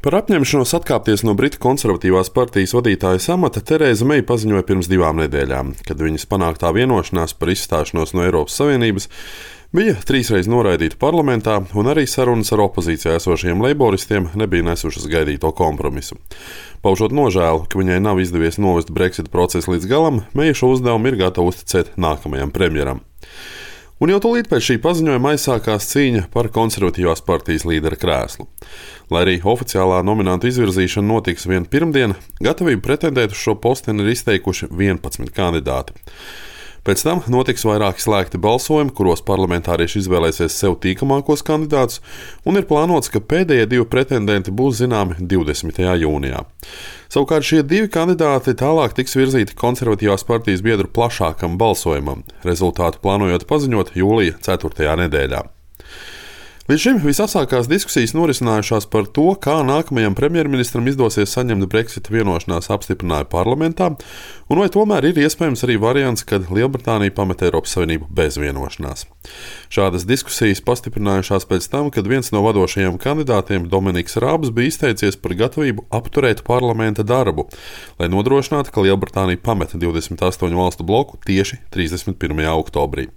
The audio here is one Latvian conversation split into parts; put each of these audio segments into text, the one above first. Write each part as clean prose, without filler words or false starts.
Par apņemšanos atkāpties no Britu konservatīvās partijas vadītājas amata Terēza Meija paziņoja pirms 2 nedēļām, kad viņas panāktā vienošanās par izstāšanos no Eiropas Savienības bija 3 reizes noraidīta parlamentā, un arī sarunas ar opozīcijā esošajiem leiboristiem nebija nesušas gaidīto kompromisu. Paužot nožēlu, ka viņai nav izdevies novest Brexit procesu līdz galam, Meija šo uzdevumu ir gatava uzticēt nākamajam premjeram. Un jau tūlīt pēc šī paziņojuma aizsākās cīņa par konservatīvās partijas līdera krēslu. Lai arī oficiālā nominantu izvirzīšana notiks vien pirmdien, gatavību pretendēt uz šo posteni ir izteikuši 11 kandidāti. Pēc tam notiks vairāki slēgti balsojumi, kuros parlamentārieši izvēlēsies sev tīkamākos kandidātus, un ir plānots, ka pēdējie 2 pretendenti būs zināmi 20. jūnijā. Savukārt šie 2 kandidāti tālāk tiks virzīti konservatīvās partijas biedru plašākam balsojumam, rezultātu plānojot paziņot jūlija 4. nedēļā. Līdz šim visasākās diskusijas norisinājušās par to, kā nākamajam premjerministram izdosies saņemt Brexit vienošanās apstiprinājumu parlamentā, un vai tomēr ir iespējams arī variants, kad Lielbritānija pamet Eiropas Savienību bez vienošanās. Šādas diskusijas pastiprinājušās pēc tam, kad viens no vadošajiem kandidātiem, Dominiks Rābs, bija izteicies par gatavību apturēt parlamenta darbu, lai nodrošinātu, ka Lielbritānija pamet 28 valstu bloku tieši 31. oktobrī.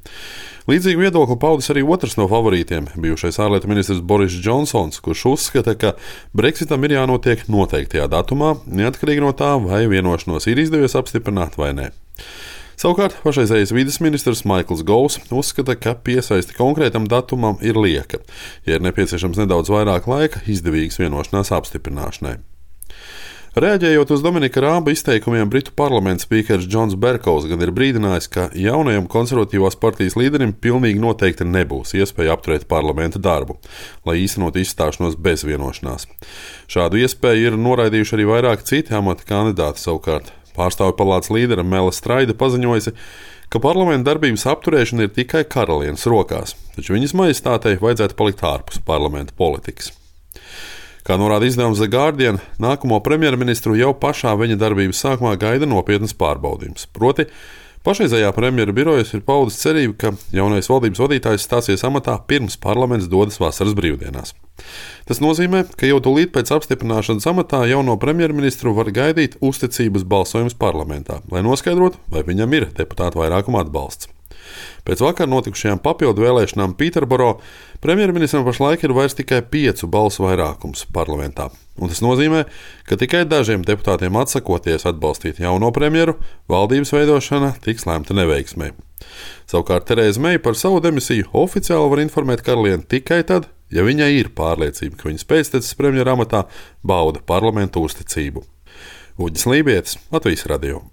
Līdzīgu viedokli paudis arī otrs no favorītiem, bijušais ārlietu ministrs Boris Džonsons, kurš uzskata, ka Brexitam ir jānotiek noteiktajā datumā, neatkarīgi no tā, vai vienošanos ir izdevies apstiprināt vai nē. Savukārt pašreizējais vides ministrs Maikls Govs uzskata, ka piesaisti konkrētam datumam ir lieka, ja ir nepieciešams nedaudz vairāk laika izdevīgas vienošanās apstiprināšanai. Reaģējot uz Dominika Rāba izteikumiem, Britu parlamenta spīkers Džons Berkovs gan ir brīdinājis, ka jaunajam konservatīvās partijas līderim pilnīgi noteikti nebūs iespēja apturēt parlamenta darbu, lai īstenot izstāšanos bez vienošanās. Šādu iespēju ir noraidījuši arī vairāki citi amata kandidāti. Savukārt pārstāvju palātas līdera Mela Straida paziņojusi, ka parlamenta darbības apturēšana ir tikai karalienes rokās, taču viņas majestātei vajadzētu palikt ārpus parlamenta politikas. Kā norāda izdevums The Guardian, nākamo premjerministru jau pašā viņa darbības sākumā gaida nopietnas pārbaudījums. Proti, pašreizējā premjera birojas ir paudis cerību, ka jaunais valdības vadītājs stāsies amatā pirms parlaments dodas vasaras brīvdienās. Tas nozīmē, ka jau tūlīt pēc apstiprināšanas amatā jauno premjerministru var gaidīt uzticības balsojums parlamentā, lai noskaidrotu, vai viņam ir deputātu vairākuma atbalsts. Pēc vakar notikušajām papildu vēlēšanām Pīterboro premjerministram pašlaik ir vairs tikai 5 balsu vairākums parlamentā. Un tas nozīmē, ka tikai dažiem deputātiem atsakoties atbalstīt jauno premjeru, valdības veidošana tiks lēmta neveiksmē. Savukārt Terēza Meija par savu demisiju oficiāli var informēt karalieni tikai tad, ja viņai ir pārliecība, ka viņas pēctecis premjera amatā bauda parlamentu uzticību. Uģis Lībietis, Latvijas radio.